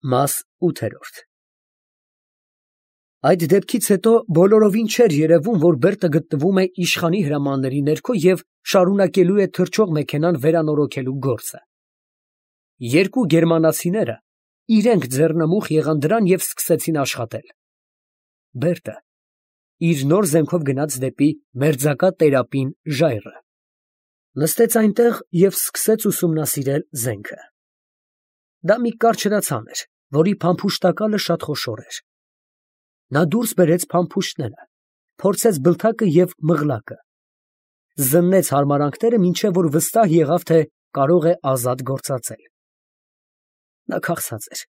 Մաս 8 Այդ դեպքից հետո բոլորովին չէր երևում, որ Բերտը գտնվում է իշխանի հրամանների ներքո և շարունակելու է թռչող մեքենան վերանորոգելու գործը։ Երկու գերմանացիները իրենք ձեռնամուխ եղան դրան և սկսեցին աշխատել։ Բերտը իր նոր զենքով գնաց դեպի մերձակա տերապին ժայռը։ Նստեց այնտեղ և սկսեց ուսումնասիրել զենքը։ Դա մի կարճրացան էր, որի փամփուշտակալը շատ խոշոր էր։ Նա դուրս բերեց փամփուշտները, փորձեց բլթակը և մղլակը, զննեց հարմարանքները, մինչև որ վստահ եղավ, թե կարող է ազատ գործածել։ Նա քաղցած էր,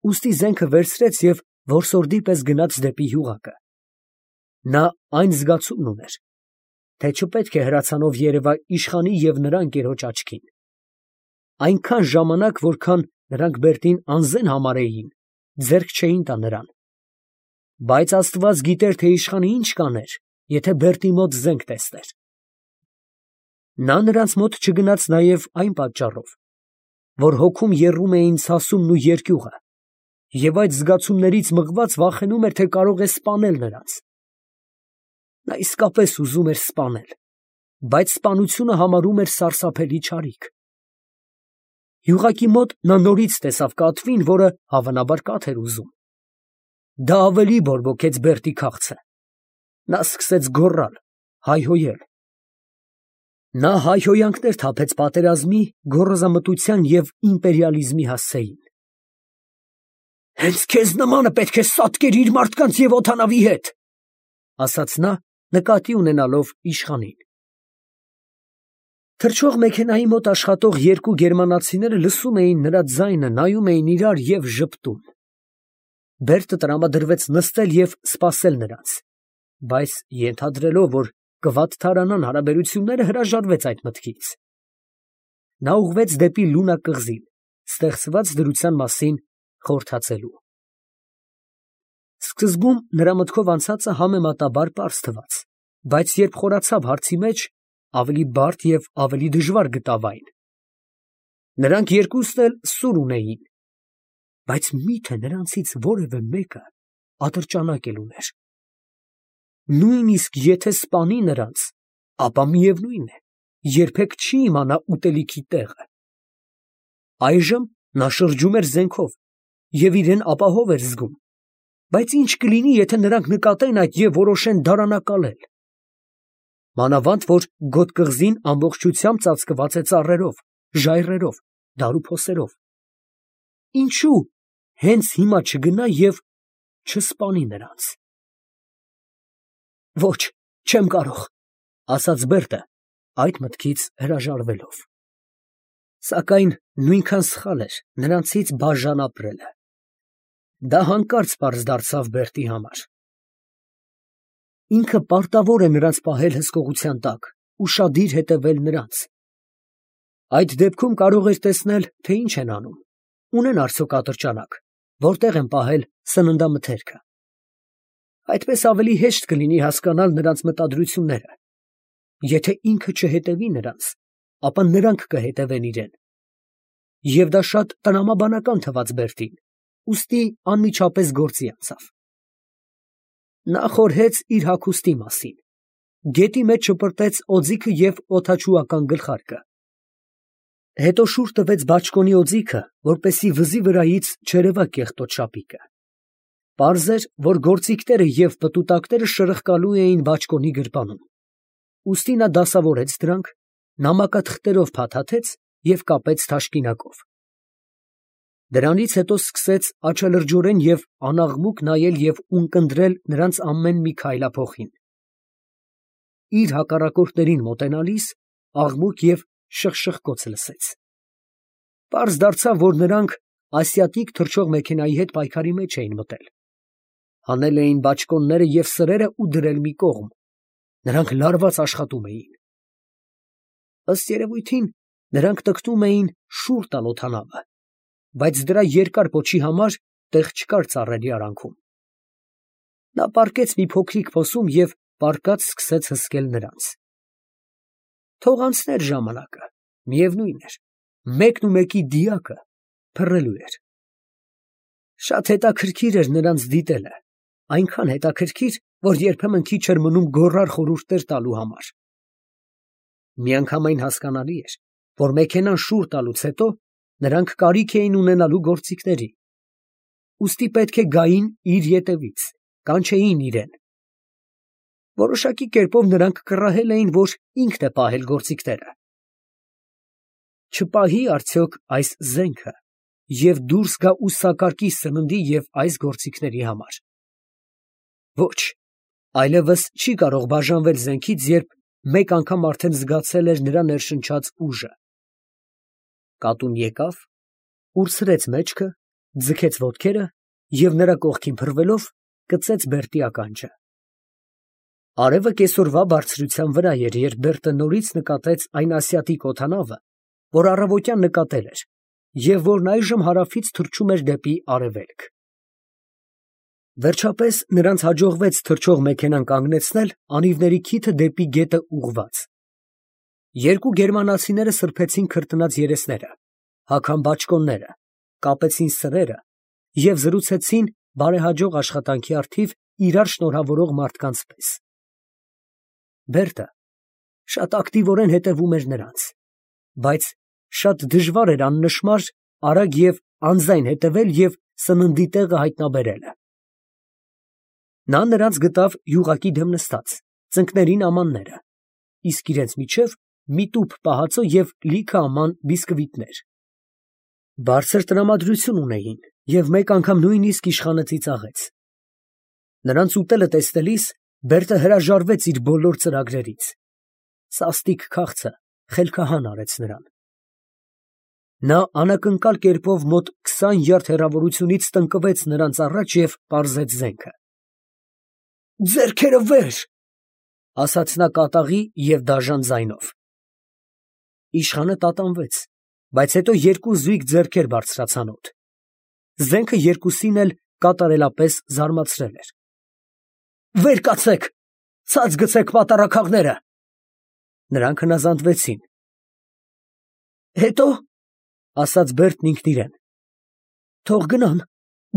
ուստի զենքը վերցրեց և որսորդի պես գնաց դեպի գյուղակը։ Նա այն զգացումն ուներ, թե չպետք է հրացանով երևա իշխանի և նրա ընկերոջ աչքին։ Այնքան ժամանակ, որքան նրանք Բերտին անզեն համարեին, ձեռք չէին տա նրան։ Բայց Աստված գիտեր, թե իշխանը ինչ կաներ, եթե Բերտի մոտ զենք տեսներ։ Նա նրանց մոտ չգնաց նաև այն պատճառով, որ հոգում եռում էին ցասումն ու երկյուղը, և այդ զգացումներից մղված վախենում էր, թե կարող է սպանել նրանց։ Նա իսկապես ուզում էր սպանել, բայց սպանությունը համարում էր սարսափելի չարիք։ Գյուղակի մոտ նա նորից տեսավ կատվին, որը հավանաբար կաթ էր ուզում։ Դա ավելի բորբոքեց Բերտի քաղցը։ Նա սկսեց գոռալ, հայհոյել։ Նա հայհոյանքներ թափեց պատերազմի, գոռոզամտության և իմպերիալիզմի հասցեին։ «Հենց քեզ նմանը պետք է սատկեր իր մարդկանց և օդանավի հետ», ֊ ասաց նա, նկատի ունենալով իշխանին։ Թռչող մեքենայի մոտ աշխատող երկու գերմանացիները լսում էին նրա ձայնը, նայում էին իրար և ժպտում։ Բերտը տրամադրվեց նստել և սպասել նրանց, բայց ենթադրելով, որ կվատթարանան հարաբերությունները, հրաժարվեց այդ մտքից։ Նա ուղղվեց դեպի Լունա կղզին, ստեղծված դրության մասին խորհրդածելու։ Սկզբում նրա մտքով անցածը համեմատաբար պարզ թվաց, բայց երբ խորացավ հարցի մեջ, ավելի բարդ և ավելի դժվար գտավ այն։ Նրանք երկուսն էլ սուր ունեին, բայց մի՞թե նրանցից որևէ մեկը ատրճանակ էլ ուներ։ Նույնիսկ եթե սպանի նրանց, ապա միևնույն է, երբեք չի իմանա ուտելիքի տեղը։ Այժմ նա շրջում էր զենքով և իրեն ապահով էր զգում, բայց ի՞նչ կլինի, եթե նրանք նկատեն այդ և որոշեն դարանակալել։ Մանավանդ որ գոտ կղզին ամբողջությամբ ծածկված է ծառերով, ժայռերով, դարուփոսերով։ Ինչո՞ւ հենց հիմա չգնա և չսպանի նրանց։ «Ոչ, չեմ կարող», ֊ ասաց Բերտը, այդ մտքից հրաժարվելով։ Սակայն նույնքան սխալ էր նրանցից բաժան ապրելը։ Դա հանկարծ պարզ դարձավ Բերտի համար։ Ինքը պարտավոր է նրանց պահել հսկողության տակ, ուշադիր հետևել նրանց։ Այդ դեպքում կարող էր տեսնել, թե ինչ են անում, ունեն արդյոք ատրճանակ, որտեղ են պահել սննդամթերքը։ Այդպես ավելի հեշտ կլինի հասկանալ նրանց մտադրությունները։ Եթե ինքը չհետևի նրանց, ապա նրանք կհետևեն իրան։ Եվ դա շատ տրամաբանական թվաց Բերտին, ուստի անմիջապես գործի անցավ։ Նա խորհեց իր հագուստի մասին, գետի մեջ շպրտեց օձիքը և օդաչուական գլխարկը։ Հետո շուռ տվեց բաճկոնի օձիքը, որպեսզի վզի վրայից չերևա կեղտոտ շապիկը։ Պարզ էր, որ գործիքները և պտուտակները շրխկալու էին բաճկոնի գրպանում, ուստի նա դասավորեց դրանք, նամակաթղթերով փաթաթեց և կապեց թաշկինակով։ Դրանից հետո սկսեց աչալրջորեն և անաղմուկ նայել և ունկնդրել նրանց ամեն մի քայլափոխին։ Իր հակառակորդներին մոտենալիս աղմուկ և շխշխկոց լսեց։ Պարզ դարձավ, որ նրանք ասիատիկ թռչող մեքենայի հետ պայքարի մեջ էին մտել։ Հանել էին բաճկոնները և սրերը ու դրել մի կողմ։ Նրանք լարված աշխատում էին։ Ըստ երևույթին, նրանք տկտում էին շուռ տալ օդանավը, բայց դրա երկար պոչի համար տեղ չկար ծառերի արանքում։ Նա պառկեց մի փոքրիկ փոսում և պառկած սկսեց հսկել նրանց։ Թող անցներ ժամանակը, միևնույն էր, մեկն ու մեկի դիակը փռելու էր։ Շատ հետաքրքիր էր նրանց դիտելը, այնքան հետաքրքիր, որ երբեմն քիչ էր մնում գոռար խորհուրդներ տալու համար։ Միանգամայն հասկանալի էր, որ մեքենան շուռ տալուց հետո նրանք կարիք էին ունենալու գործիքների, ուստի պետք է գային իր ետևից, կանչեին իրեն։ Որոշակի կերպով նրանք կռահել էին, որ ինքն է պահել գործիքները։ Չպահի արդյոք այս զենքը և դուրս գա ու սակարկի սննդի և այս գործիքների համար։ Ոչ, այլևս չի կարող բաժանվել զենքից, երբ մեկ անգամ արդեն զգացել էր նրա ներշնչած ուժը։ Կատուն եկավ, ուրցրեց մեջքը, ձգեց ոտքերը և նրա կողքին փռվելով կծեց Բերտի ականջը։ Արևը կեսօրվա բարձրության վրա էր, երբ Բերտը նորից նկատեց այն ասիատիկ օդանավը, որ առավոտյան նկատել էր, և որն այժմ հարավից թռչում էր դեպի արևելք։ Վերջապես նրանց հաջողվեց թռչող մեքենան կանգնեցնել անիվների քիթը դեպի գետը ուղղված։ Երկու գերմանացիները սրբեցին քրտնած երեսները, հագան բաճկոնները, կապեցին սրերը և զրուցեցին բարեհաջող աշխատանքի առթիվ իրար շնորհավորող մարդկանց պես։ Բերտը շատ ակտիվորեն հետևում էր նրանց, բայց շատ դժվար էր աննշմար, արագ և անձայն հետևել և սննդի տեղը հայտնաբերելը։ Նա նրանց գտավ յուղակի դեմ նստած, ծնկներին ամանները, իսկ իրենց միջև մի տուփ պահածո և լիքը աման բիսկվիտներ։ Բարձր տրամադրություն ունեին և մեկ անգամ նույնիսկ իշխանը ծիծաղեց։ Նրանց ուտելը տեսնելիս Բերտը հրաժարվեց իր բոլոր ծրագրերից։ Սաստիկ քաղցը խելքահան արեց նրան։ Նա անակնկալ կերպով մոտ 20 յարդ հեռավորությունից տնկվեց նրանց առաջ և պարզեց զենքը։ «Ձեռքերը վեր», ֊ ասաց նա կատաղի և դաժան ձայնով։ Իշխանը տատանվեց, բայց հետո երկու զույգ ձեռքեր բարձրացան օդ։ Զենքը երկուսին էլ կատարելապես զարմացրել էր։ «Վեր կացեք, ցած գցեք պատառաքաղները»։ Նրանք հնազանդվեցին։ «Հետո», ֊ ասաց Բերտն ինքն իրեն։ «Թող գնան,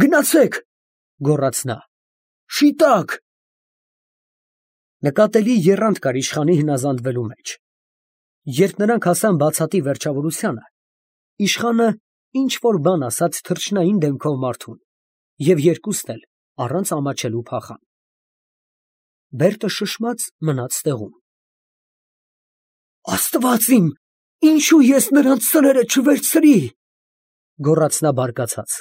գնացեք», ֊ գոռաց նա։ «Շիտակ»։ Նկատելի եռանդ կար իշխանի հնազանդվելու մեջ։ Երբ նրանք հասան բացատի վերջավորությանը, իշխանը ինչ֊որ բան ասաց թռչնային դեմքով մարդուն, և երկուսն էլ առանց ամաչելու փախան։ Բերտը շշմած մնաց տեղում։ «Աստված իմ, ինչո՞ւ ես նրանց սրերը չվերցրի», ֊ գոռաց նա բարկացած։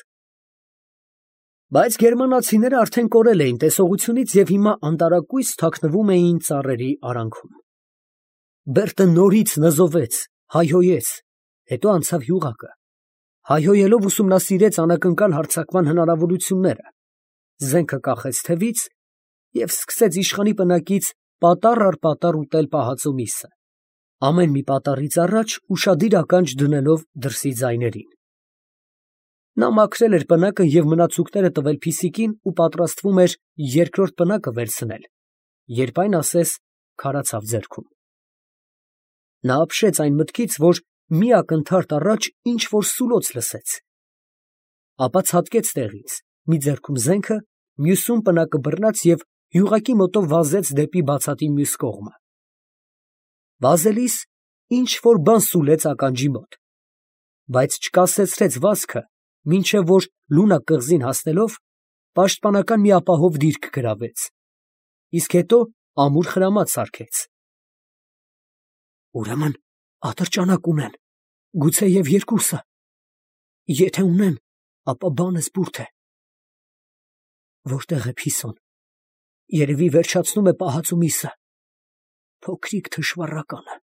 Բայց գերմանացիները արդեն կորել էին տեսողությունից և հիմա անտարակույս թաքնվում էին ծառերի արանքում։ Բերտը նորից նզովեց, հայհոյեց, հետո անցավ յուղակը, հայհոյելով ուսումնասիրեց անակնկալ հարձակման հնարավորությունները, զենքը կախեց թևից և սկսեց իշխանի պնակից պատառ առ պատառ ուտել պահածո միսը, ամեն մի պատառից առաջ ուշադիր ականջ դնելով դրսի ձայներին։ Նա մաքրել էր պնակը և մնացուկները տվել Փիսիկին ու պատրաստվում էր երկրորդ պնակը վերցնել, երբ այն ասես քարացավ ձեռքում։ Նա ապշեց այն մտքից, որ մի ակնթարթ առաջ ինչ֊որ սուլոց լսեց, ապա ցատկեց տեղից, մի ձեռքում զենքը, մյուսում պնակը բռնած և յուղակի մոտով վազեց դեպի բացատի մյուս կողմը։ Վազելիս ինչ֊որ բան սուլեց ականջի մոտ, բայց չկասեցրեց վազքը, մինչև որ լունակ կղզին հասնելով, պաշտպանական մի ապահով դիրք գրավեց, իսկ հետո ամուր խրամատ սարքեց։ «Ուրեմն ատրճանակ ունեն, գուցեև երկուսը։ Եթե ունեն, ապա բանը սփուրթ է։ Որտե՞ղ է Փիսոն։ Երևի վերջացնում է պահածո միսը։ Փոքրիկ թշվառականը»։